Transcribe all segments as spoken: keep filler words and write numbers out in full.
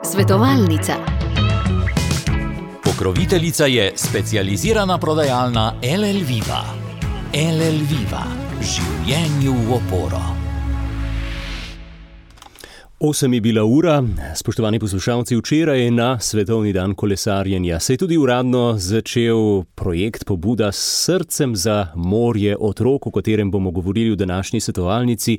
Svetovalnica. Pokroviteljica je specializirana prodajalna el el Viva. el el Viva. Življenju v oporo. Osem je bila ura, spoštovani poslušalci, včeraj je na Svetovni dan kolesarjenja. Se je tudi uradno začel projekt pobuda s srcem za morje otrok, o katerem bomo govorili v današnji svetovalnici,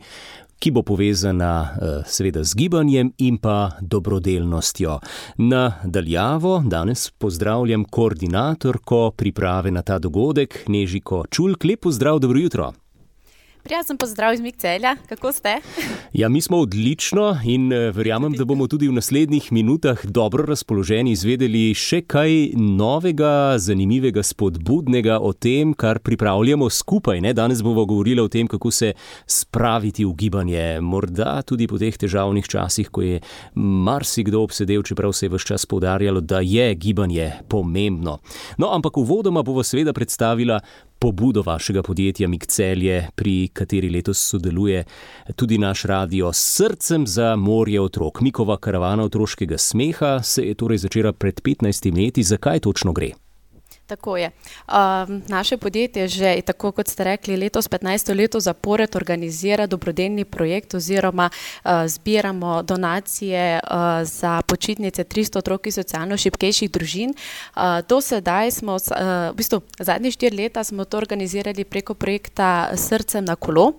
ki bo povezana seveda z gibanjem in pa dobrodelnostjo. Na daljavo danes pozdravljam koordinatorko priprave na ta dogodek, Nežiko Čulk. Lep pozdrav, dobro jutro. Prijazen pozdrav iz Mikcelja, kako ste? Ja, mi smo odlično in verjamem, da bomo tudi v naslednjih minutah dobro razpoloženi izvedeli še kaj novega, zanimivega, spodbudnega o tem, kar pripravljamo skupaj. Ne? Danes bomo govorili o tem, kako se spraviti v gibanje. Morda tudi po teh težavnih časih, ko je marsikdo obsedel, čeprav se je ves čas poudarjalo, da je gibanje pomembno. No, ampak uvodoma bova seveda predstavila pobudo vašega podjetja Mikcelje, pri kateri letos sodeluje tudi naš radio s srcem za morje otrok. Mikova karavana otroškega smeha se je torej začela pred petnajstimi leti. Zakaj točno gre? Tako je. Um, naše podjetje že, tako kot ste rekli, letos petnajsto leto zapored organizira dobrodelni projekt oziroma uh, zbiramo donacije uh, za počitnice tristo otrok iz socialno šibkejših družin. Uh, do sedaj smo, uh, v bistvu zadnje štiri leta smo to organizirali preko projekta Srcem na kolo.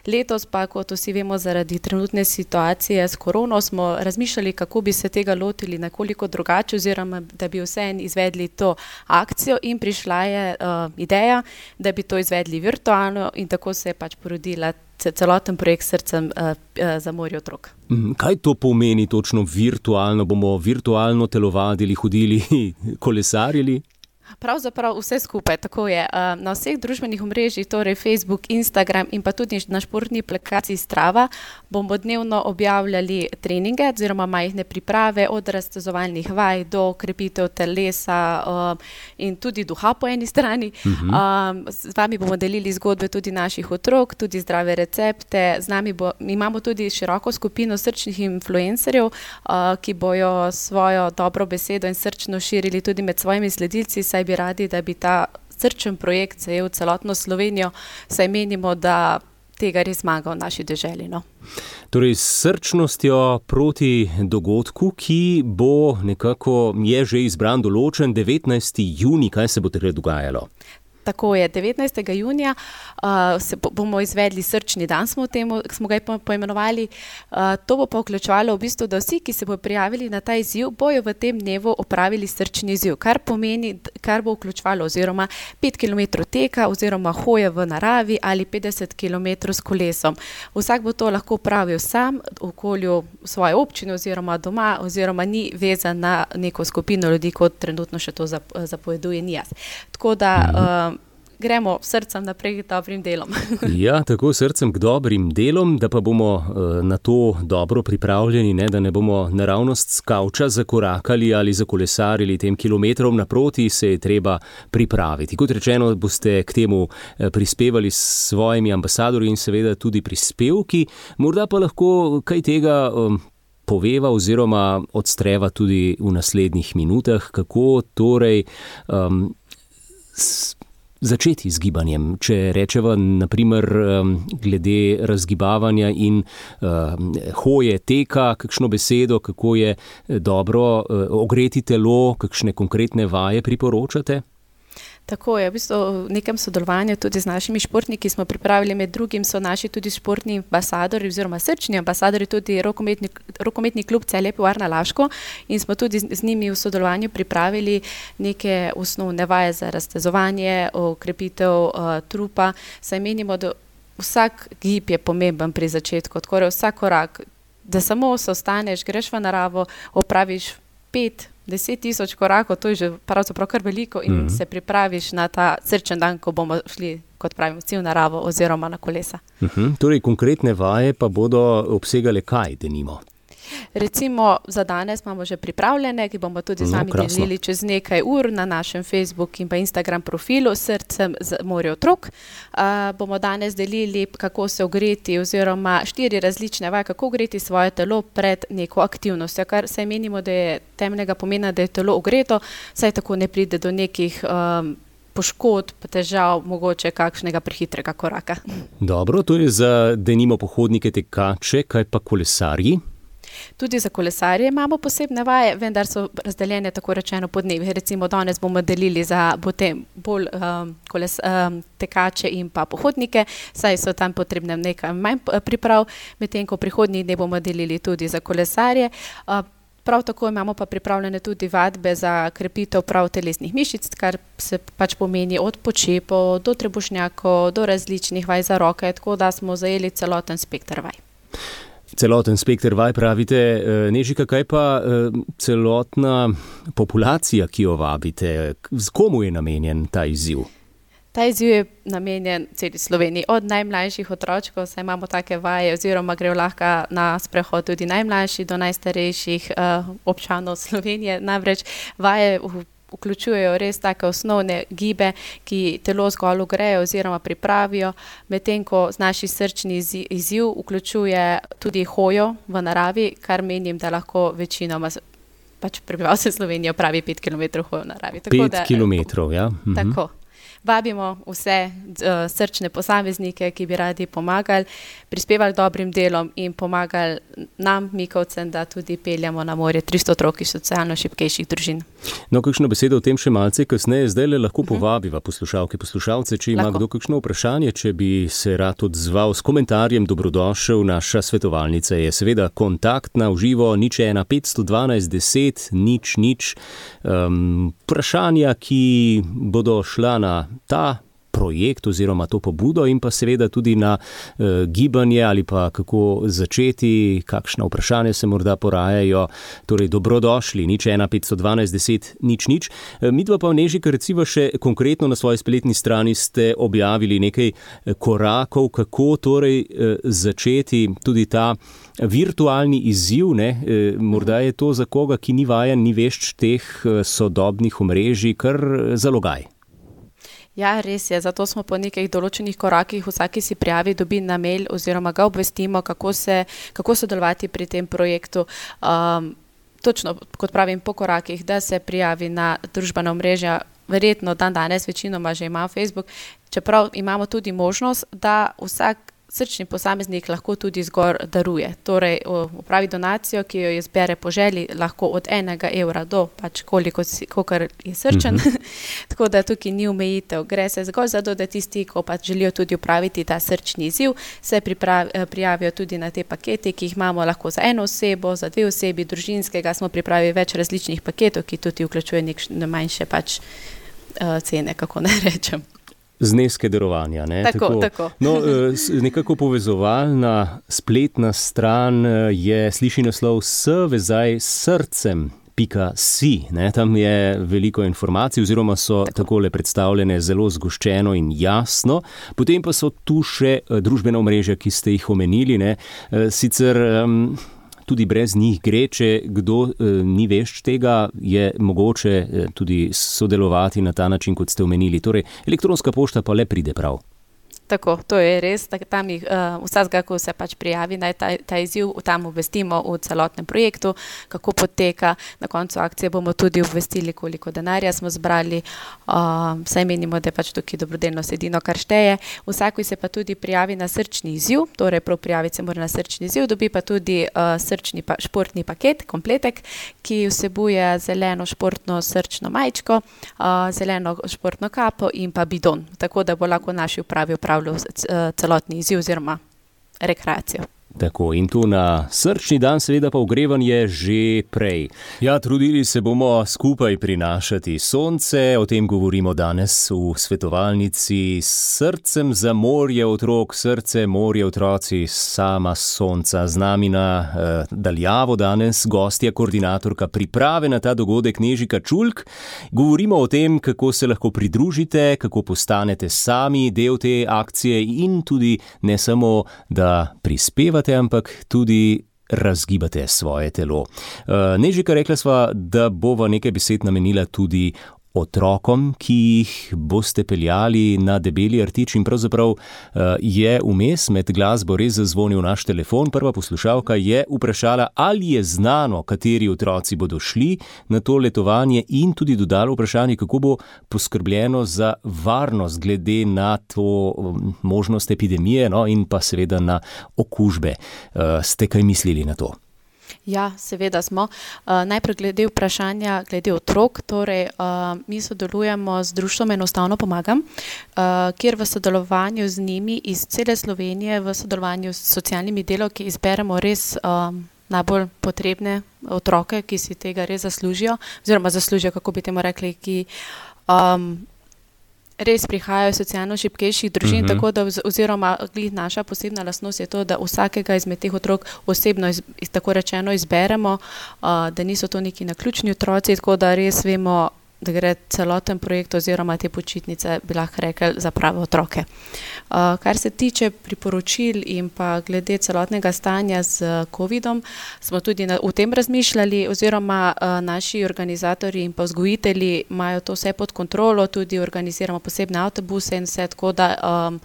Letos pa, kot vsi vemo, zaradi trenutne situacije s korono smo razmišljali, kako bi se tega lotili nekoliko drugače oziroma da bi vseeno izvedli to akcijo. In prišla je uh, ideja, da bi to izvedli virtualno in tako se je pač porodila celoten projekt Srcem uh, uh, za morje otrok. Kaj to pomeni točno virtualno? Bomo virtualno telovadili, hodili, kolesarili? Pravzaprav vse skupaj, tako je. Na vseh družbenih omrežjih, torej Facebook, Instagram in pa tudi na športni aplikaciji Strava, bomo dnevno objavljali treninge oziroma majhne priprave od raztezovalnih vaj do krepitev telesa in tudi duha po eni strani. Uh-huh. Z vami bomo delili zgodbe tudi naših otrok, tudi zdrave recepte. Z nami bo, imamo tudi široko skupino srčnih influencerjev, ki bojo svojo dobro besedo in srčno širili tudi med svojimi sledilci, saj bi radi, da bi ta srčen projekt zajel celotno Slovenijo, saj menimo, da tega res zmaga v naši deželi. No? Torej, s srčnostjo proti dogodku, ki bo nekako, je že izbran, določen devetnajsti junij, kaj se bo takrat dogajalo? Tako je, devetnajstega junija uh, se bo, bomo izvedli srčni dan, smo, temu, smo ga poimenovali. Uh, to bo pa vključevalo v bistvu, da vsi, ki se bodo prijavili na ta izziv, bojo v tem dnevu opravili srčni izziv, kar pomeni, kar bo vključevalo oziroma pet kilometrov teka oziroma hoje v naravi ali petdeset kilometrov s kolesom. Vsak bo to lahko opravil sam v okolju svoje občine oziroma doma oziroma ni vezan na neko skupino ljudi, kot trenutno še to zapoveduje N I A S. Tako da uh, gremo srcem naprej k dobrim delom. Ja, tako srcem k dobrim delom, da pa bomo uh, na to dobro pripravljeni, ne, da ne bomo naravnost s kavča zakorakali ali zakolesarili tem kilometrom naproti, se je treba pripraviti. Kot rečeno, boste k temu prispevali s svojimi ambasadorji in seveda tudi prispevki. Morda pa lahko kaj tega um, poveva oziroma odstreva tudi v naslednjih minutah, kako torej um, s, začeti z gibanjem. Če rečeva naprimer glede razgibavanja in uh, hoje, teka, kakšno besedo, kako je dobro uh, ogreti telo, kakšne konkretne vaje priporočate? Tako je, v bistvu v nekem sodelovanju tudi z našimi športniki smo pripravili, med drugim so naši tudi športni ambasadori oziroma srčni ambasadori, tudi rokometni, rokometni klub Celje Pivovarna Laško in smo tudi z njimi v sodelovanju pripravili neke osnovne vaje za raztezovanje, okrepitev uh, trupa. Saj menimo, da vsak gib je pomemben pri začetku, tako da vsak korak, da samo se ostaneš, greš v naravo, opraviš pet, deset tisoč korakov, to je že pravzaprav kar veliko in mm-hmm. se pripraviš na ta srčen dan, ko bomo šli, kot pravimo, vsi v naravo oziroma na kolesa. Mm-hmm. Torej, konkretne vaje pa bodo obsegale kaj, denimo? Recimo za danes imamo že pripravljene, ki bomo tudi z vami no, delili čez nekaj ur na našem Facebook in pa Instagram profilu Srcem za morje otrok. Uh, bomo danes delili, kako se ogreti oziroma štiri različne vaje, kako ogreti svoje telo pred neko aktivnostjo, kar se menimo, da je temeljnega pomena, da je telo ogreto, saj tako ne pride do nekih um, poškodb, težav, mogoče kakšnega prehitrega koraka. Dobro, to je za denimo pohodnike, tekače, kaj pa kolesarji? Tudi za kolesarje imamo posebne vaje, vendar so razdeljene tako rečeno po dnevih. Recimo danes bomo delili za potem bolj um, koles, um, tekače in pa pohodnike, saj so tam potrebne nekaj manj priprav, medtem ko prihodnji dne bomo delili tudi za kolesarje. Uh, Prav tako imamo pa pripravljene tudi vadbe za krepitev prav telesnih mišic, kar se pač pomeni od počepov do trebušnjakov, do različnih vaj za roke, tako da smo zajeli celoten spekter vaj. Celoten spekter vaj pravite, Nežika, kaj pa celotna populacija, ki jo vabite, z komu je namenjen ta izziv? Ta izziv je namenjen celi Sloveniji, od najmlajših otročkov, saj imamo take vaje, oziroma grejo lahko na sprehod tudi najmlajši do najstarejših uh, občanov Slovenije. Namreč vaje vključujejo res take osnovne gibe, ki telo zgolj ogrejo oziroma pripravijo, medtem ko naš srčni izziv vključuje tudi hojo v naravi, kar menim, da lahko večinoma pač prebivalce Slovenije opravi pet kilometrov hojo v naravi. Tako pet kilometrov, ja. Mhm. Tako. Vabimo vse uh, srčne posameznike, ki bi radi pomagali, prispevali dobrim delom in pomagali nam, Mikovcem, da tudi peljamo na morje tristo otrok iz socialno šibkejših družin. No, kakšno besedo o tem še malce kasneje, zdaj le lahko povabiva poslušalke, poslušalce, če ima lahko kdo kakšno vprašanje, če bi se rad odzval s komentarjem, dobrodošel. Naša svetovalnica je seveda kontaktna v živo, nič ena petsto dvanajst deset, nič nič. Um, vprašanja, ki bodo šla na ta projekt oziroma to pobudo in pa seveda tudi na e, gibanje ali pa kako začeti, kakšna vprašanja se morda porajajo. Torej, dobrodošli, nič ena petsto dvanajst deset, nič nič. E, midva pa v Nežika recimo še konkretno na svoji spletni strani ste objavili nekaj korakov, kako torej e, začeti tudi ta virtualni izziv, ne? E, morda je to za koga, ki ni vajen, ni vešč teh sodobnih omrežij, kar zalogaj. Ja, res je, zato smo po nekaj določenih korakih vsaki si prijavi, dobi na mail oziroma ga obvestimo, kako se, kako sodelovati pri tem projektu. Um, točno, kot pravim, po korakih, da se prijavi na družbena omrežja, verjetno dan danes večinoma že ima Facebook, čeprav imamo tudi možnost, da vsak srčni posameznik lahko tudi zgor daruje. Torej, upravi donacijo, ki jo je zbere po želji, lahko od enega evra do pač koliko, kolikor je srčen. Mm-hmm. Tako da tukaj ni omejitev. Gre se zgolj za to, da tisti, ko pač želijo tudi upraviti ta srčni izziv, se pripravi, prijavijo tudi na te pakete, ki jih imamo lahko za eno osebo, za dve osebi, družinskega. Smo pripravili več različnih paketov, ki tudi vključuje nekšne manjše pač uh, cene, kako ne rečem. Zneske darovanja. Ne? Tako, tako. tako. No, nekako povezovalna spletna stran je, sliši naslov s vezaj srcem pika si. Ne? Tam je veliko informacij oziroma so tako. takole predstavljene zelo zgoščeno in jasno. Potem pa so tu še družbena omrežja, ki ste jih omenili. Ne? Sicer um, tudi brez njih gre, če kdo e, ni vešč tega, je mogoče e, tudi sodelovati na ta način, kot ste omenili. Torej, elektronska pošta pa le pride prav. Tako, to je res, tam jih uh, vsakega, ko se pač prijavi na ta, ta izziv, tam obvestimo v celotnem projektu, kako poteka. Na koncu akcije bomo tudi obvestili, koliko denarja smo zbrali, uh, saj menimo, da je pač tukaj dobrodelnost edino, kar šteje. Vsako se pa tudi prijavi na srčni izziv, torej prav prijaviti se mora na srčni izziv, dobi pa tudi uh, srčni pa, športni paket, kompletek, ki vsebuje zeleno športno srčno majčko, uh, zeleno športno kapo in pa bidon, tako da bo lahko naši upravi upravljali celotni izziv oziroma rekreacijo. Tako, in tu na srčni dan seveda pa ogrevanje že prej. Ja, trudili se bomo skupaj prinašati sonce, o tem govorimo danes v svetovalnici Srcem za morje otrok, srce, morje otroci, sama sonca. Z nami na eh, daljavo danes gostja, koordinatorka priprave na ta dogodek Nežika Čulk. Govorimo o tem, kako se lahko pridružite, kako postanete sami del te akcije in tudi ne samo, da prispevate, ampak tudi razgibate svoje telo. Nežika, rekla sva, da bova nekaj besed namenila tudi otrokom, ki jih boste peljali na Debeli rtič, in pravzaprav je vmes med glasbo res zazvonil naš telefon. Prva poslušalka je vprašala, ali je znano, kateri otroci bodo šli na to letovanje, in tudi dodala vprašanje, kako bo poskrbljeno za varnost glede na to možnost epidemije, no, in pa seveda na okužbe. Ste kaj mislili na to? Ja, seveda smo. Uh, najprej glede vprašanja, glede otrok, torej uh, mi sodelujemo z društvom Enostavno pomagam, uh, kjer v sodelovanju z njimi iz cele Slovenije, v sodelovanju s socialnimi delavki izberemo res um, najbolj potrebne otroke, ki si tega res zaslužijo, oziroma zaslužijo, kako bi temu rekli, ki um, res prihajajo iz socialno šibkejših družin, uh-huh. tako da oziroma naša posebna lastnost je to, da vsakega izmed teh otrok osebno iz, tako rečeno izberemo, uh, da niso to neki naključni otroci, tako da res vemo, da gre celoten projekt oziroma te počitnice, bi lahko rekli, za prave otroke. Uh, kar se tiče priporočil in pa glede celotnega stanja z covidom, smo tudi na, o tem razmišljali, oziroma uh, naši organizatorji in pa vzgojitelji imajo to vse pod kontrolo, tudi organiziramo posebne avtobuse in vse, tako da um,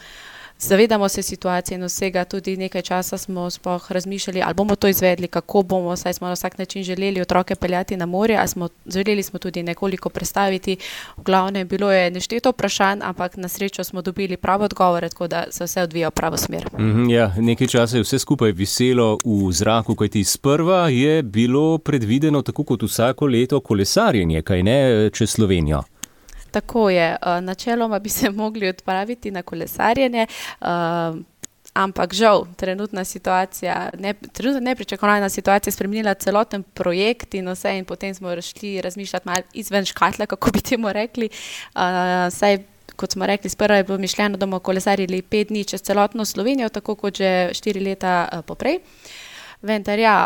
zavedamo se situacije in vsega, tudi nekaj časa smo sploh razmišljali, ali bomo to izvedli, kako bomo, saj smo na vsak način želeli otroke peljati na morje, ali smo želeli smo tudi nekoliko predstaviti. V glavnem bilo je nešteto vprašanj, ampak na srečo smo dobili pravo odgovore, tako da se vse odvija v pravo smer. Mm-hmm, ja, nekaj časa je vse skupaj viselo v zraku, kajti sprva je bilo predvideno tako kot vsako leto kolesarjenje, kaj ne, čez Slovenijo. Tako je. Načeloma bi se mogli odpraviti na kolesarjenje, ampak žal, trenutna situacija, ne, trenutna nepričakovana situacija spremenila celoten projekt in vse, in potem smo šli razmišljati malo izven škatle, kako bi temu rekli. Saj, kot smo rekli, sprva je bilo mišljeno, da bomo kolesarili pet dni čez celotno Slovenijo, tako kot že štiri leta poprej. Vendar ja,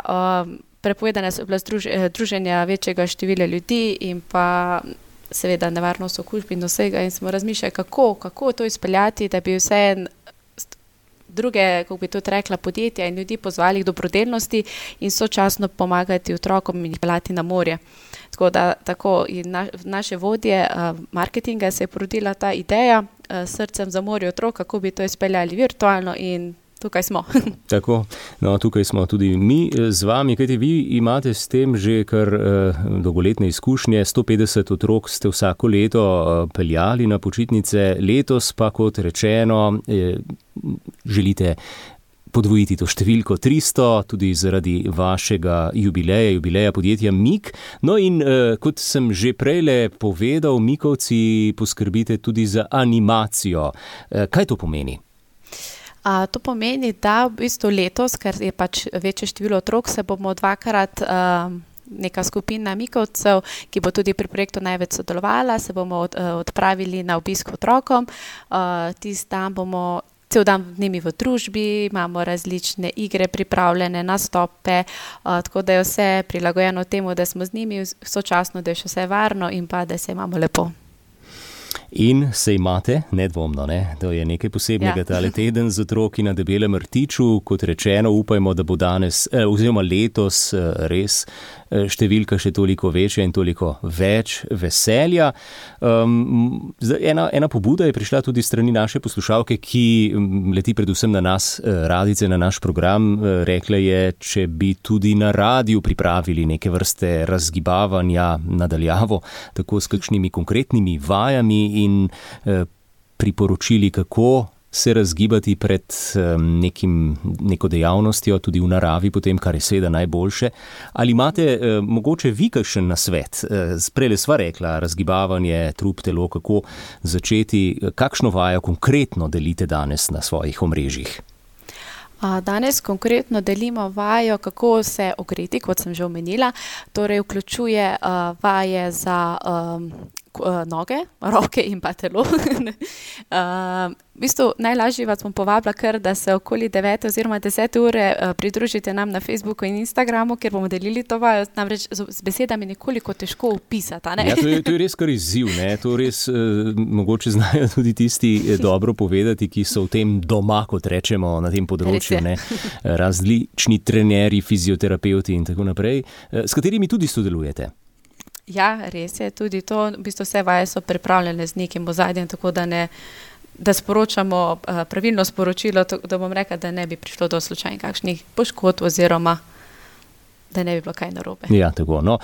prepovedane so bila druženja večjega števila ljudi in pa seveda nevarnost okužb in vsega, in smo razmišljali, kako, kako to izpeljati, da bi vse druge, kako bi tudi rekla, podjetja in ljudi pozvali k dobrodelnosti in sočasno pomagati otrokom in jih peljati na morje. Tako da tako in na, naše vodje uh, marketinga se je porodila ta ideja uh, s srcem za morje otrok, kako bi to izpeljali virtualno, in tukaj smo. Tako, no, tukaj smo tudi mi z vami, kajti vi imate s tem že kar eh, dolgoletne izkušnje, sto petdeset otrok ste vsako leto eh, peljali na počitnice, letos pa, kot rečeno, eh, želite podvojiti to številko tristo, tudi zaradi vašega jubileja, jubileja podjetja Mik. No in eh, kot sem že prejle povedal, Mikovci poskrbite tudi za animacijo. Eh, kaj to pomeni? A, to pomeni, da v bistvu letos, ker je pač večje število otrok, se bomo dvakrat um, neka skupina Mikovcev, ki bo tudi pri projektu največ sodelovala, se bomo od, uh, odpravili na obisk otrokom. Uh, tist dan bomo cel dan z njimi v družbi, imamo različne igre pripravljene, nastope, uh, tako da je vse prilagojeno temu, da smo z njimi sočasno, da je še vse varno in pa da se imamo lepo. In se imate, nedvomno, ne? To je nekaj posebnega, ja. Tale teden z otroki na Debelem rtiču, kot rečeno, upajmo, da bo danes, eh, oziroma letos eh, res eh, številka še toliko večja in toliko več veselja. Um, ena, ena pobuda je prišla tudi strani naše poslušalke, ki leti predvsem na nas, eh, radice, na naš program. Eh, rekla je, če bi tudi na radiju pripravili neke vrste razgibavanja nadaljavo, tako s kakšnimi konkretnimi vajami in eh, priporočili, kako se razgibati pred eh, nekim, neko dejavnostjo, tudi v naravi potem, kar je seveda najboljše. Ali imate eh, mogoče vi kakšen nasvet? Eh, Prejle sva rekla, razgibavanje, trup, telo, kako začeti, kakšno vajo konkretno delite danes na svojih omrežjih? Danes konkretno delimo vajo, kako se ogreti, kot sem že omenila, torej vključuje uh, vaje za um, noge, roke in pa telo. uh, v bistvu najlažje vas bom povabila kar, da se okoli devete oziroma desete ure uh, pridružite nam na Facebooku in Instagramu, kjer bomo delili to vajo, namreč z, z besedami nekoliko težko opisati. Ne? Ja, to je, to je res kar izziv, ne? To res uh, mogoče znajo tudi tisti dobro povedati, ki so v tem doma, kot rečemo, na tem področju, ne? Različni trenerji, fizioterapeuti in tako naprej, uh, s katerimi tudi sodelujete. Ja, res je, tudi to, v bistvu vse vaje so pripravljene z nekim ozadjem, tako da ne, da sporočamo uh, pravilno sporočilo, da bom rekla, da ne bi prišlo do slučajnih kakšnih poškodb oziroma da ne bi bilo kaj narobe. Ja, tako. No,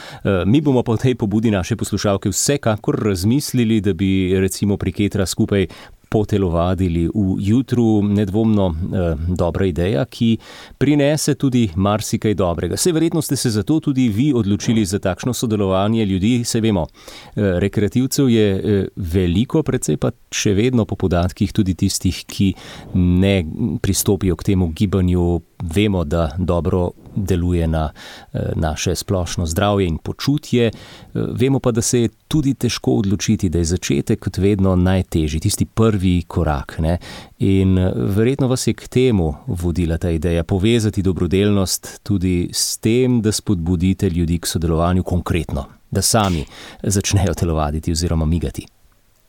mi bomo po tej pobudi naše poslušalke vsekakor razmislili, da bi recimo pri Ketra skupaj potelovadili v jutru, nedvomno eh, dobra ideja, ki prinese tudi marsikaj dobrega. Sej verjetno ste se zato tudi vi odločili za takšno sodelovanje ljudi, sej vemo, eh, rekreativcev je eh, veliko, predvsej pa še vedno po podatkih tudi tistih, ki ne pristopijo k temu gibanju, vemo, da dobro deluje na eh, naše splošno zdravje in počutje, eh, vemo pa, da se je tudi težko odločiti, da je začetek kot vedno najtežji, tisti prvi korak, ne? In verjetno vas je k temu vodila ta ideja, povezati dobrodelnost tudi s tem, da spodbudite ljudi k sodelovanju konkretno, da sami začnejo telovaditi oziroma migati.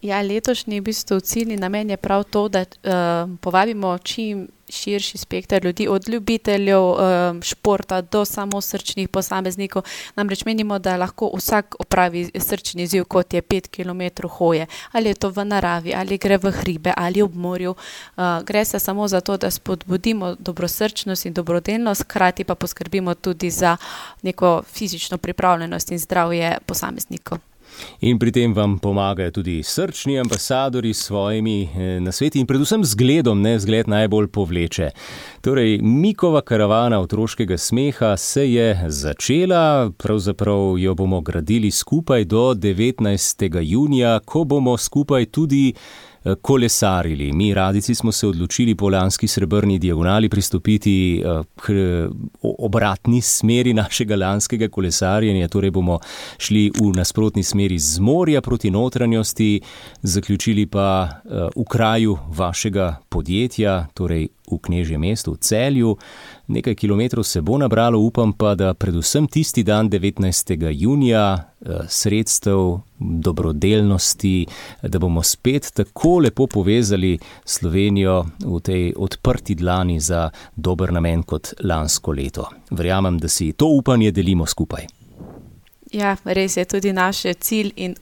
Ja, letošnji v bistvu ciljni namen je prav to, da uh, povabimo čim širši spekter ljudi, od ljubiteljev uh, športa do samo srčnih posameznikov. Namreč menimo, da lahko vsak opravi srčni izziv, kot je pet kilometrov hoje. Ali je to v naravi, ali gre v hribe, ali ob morju. Uh, gre se samo za to, da spodbudimo dobrosrčnost in dobrodelnost, hkrati pa poskrbimo tudi za neko fizično pripravljenost in zdravje posameznikov. In pri tem vam pomagajo tudi srčni ambasadori s svojimi eh, nasveti in predvsem zgledom, ne, zgled najbolj povleče. Torej, Mikova karavana otroškega smeha se je začela, pravzaprav jo bomo gradili skupaj do devetnajstega junija, ko bomo skupaj tudi kolesarili. Mi radici smo se odločili po lanski srebrni diagonali pristopiti k obratni smeri našega lanskega kolesarjenja, torej bomo šli v nasprotni smeri z morja proti notranjosti, zaključili pa v kraju vašega podjetja, torej v Knežjem mestu, v Celju. Nekaj kilometrov se bo nabralo, upam pa, da predvsem tisti dan devetnajstega junija sredstev, dobrodelnosti, da bomo spet tako lepo povezali Slovenijo v tej odprti dlani za dober namen kot lansko leto. Verjamem, da si to upanje delimo skupaj. Ja, res je tudi naš cilj in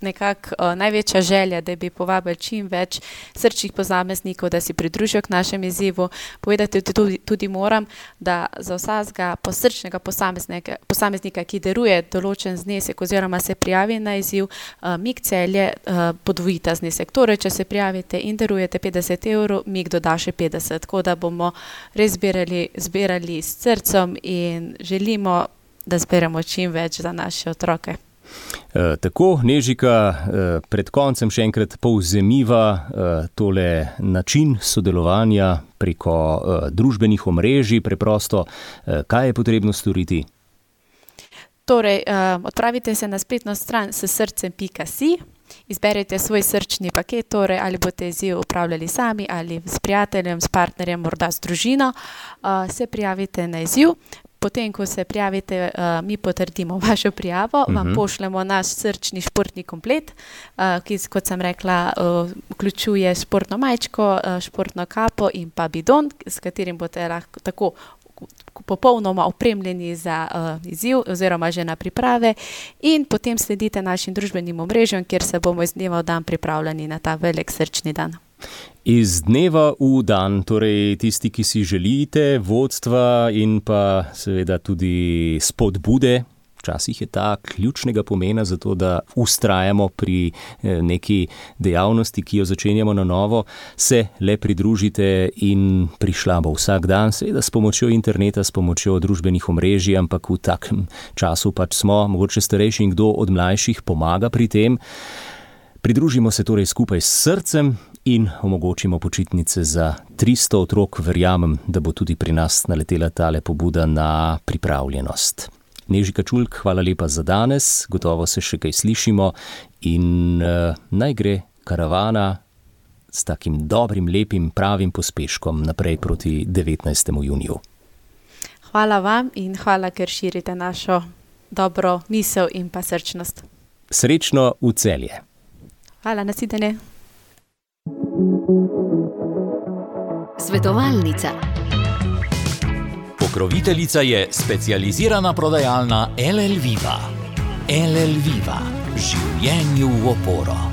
nekako uh, največja želja, da bi povabili čim več srčnih posameznikov, da si pridružijo k našem izzivu. Povedati tudi, tudi moram, da za vsakega posrčnega posameznika, posameznika, ki daruje določen znesek oziroma se prijavi na izziv, uh, Mik Celje uh, podvojita znesek. Torej, če se prijavite in darujete petdeset evrov, Mik doda še petdeset. Tako da bomo res zbirali, zbirali s srcem in želimo, da zberemo čim več za naše otroke. E, tako, Nežika, e, pred koncem še enkrat povzemiva e, tole način sodelovanja preko e, družbenih omrežij, preprosto, e, kaj je potrebno storiti? Torej, e, odpravite se na spletno stran s srcem pika si, izberete svoj srčni paket, torej ali boste izziv upravljali sami ali s prijateljem, s partnerjem, morda s družino, e, se prijavite na izziv. Potem, ko se prijavite, uh, mi potrdimo vašo prijavo, uh-huh. vam pošljemo naš srčni športni komplet, uh, ki, kot sem rekla, uh, vključuje športno majčko, uh, športno kapo in pa bidon, s katerim boste lahko tako popolnoma opremljeni za uh, izziv oziroma že na priprave in potem sledite našim družbenim omrežjem, kjer se bomo iz dneva v dan pripravljeni na ta velik srčni dan. Iz dneva v dan, torej tisti, ki si želite vodstva in pa seveda tudi spodbude, včasih je ta ključnega pomena za to, da ustrajamo pri neki dejavnosti, ki jo začenjamo na novo, se le pridružite in prišla bo vsak dan, seveda s pomočjo interneta, s pomočjo družbenih omrežij, ampak v takem času pač smo, mogoče starejši in kdo od mlajših pomaga pri tem. Pridružimo se torej skupaj s srcem in omogočimo počitnice za tristo otrok. Verjamem, da bo tudi pri nas naletela tale pobuda na pripravljenost. Nežika Čulk, hvala lepa za danes, gotovo se še kaj slišimo in uh, naj gre karavana s takim dobrim, lepim, pravim pospeškom naprej proti devetnajstemu juniju. Hvala vam in hvala, ker širite našo dobro misel in pa srčnost. Srečno v Celje. Hvala, nasvidenje. Svetovalnica. Pokroviteljica je specializirana prodajalna L L Viva. L L Viva. Življenju v oporo.